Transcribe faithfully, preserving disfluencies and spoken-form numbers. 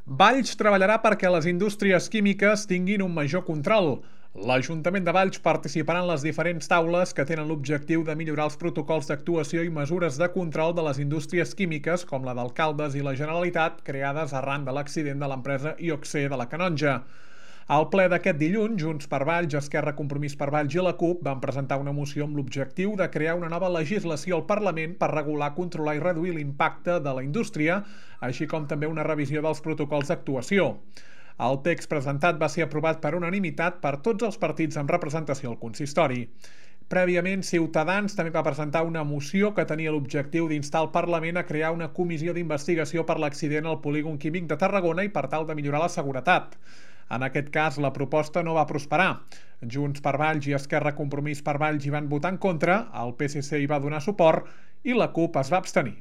Valls treballarà perquè les indústries químiques tinguin un major control. L'Ajuntament de Valls participarà en les diferents taules que tenen l'objectiu de millorar els protocols d'actuació i mesures de control de les indústries químiques, com la d'Alcaldes i la Generalitat, creades arran de l'accident de l'empresa I O C de la Canonja. Al ple d'aquest dilluns, Junts per Valls, Esquerra Compromís per Valls i la CUP van presentar una moció amb l'objectiu de crear una nova legislació al Parlament per regular, controlar i reduir l'impacte de la indústria, així com també una revisió dels protocols d'actuació. El text presentat va ser aprovat per unanimitat per tots els partits amb representació al consistori. Prèviament, Ciutadans també va presentar una moció que tenia l'objectiu d'instar el Parlament a crear una comissió d'investigació per l'accident al polígon químic de Tarragona i per tal de millorar la seguretat. En aquest cas, la proposta no va prosperar. Junts per Valls i Esquerra Compromís per Valls hi van votar en contra, el P S C hi va donar suport i la CUP es va abstenir.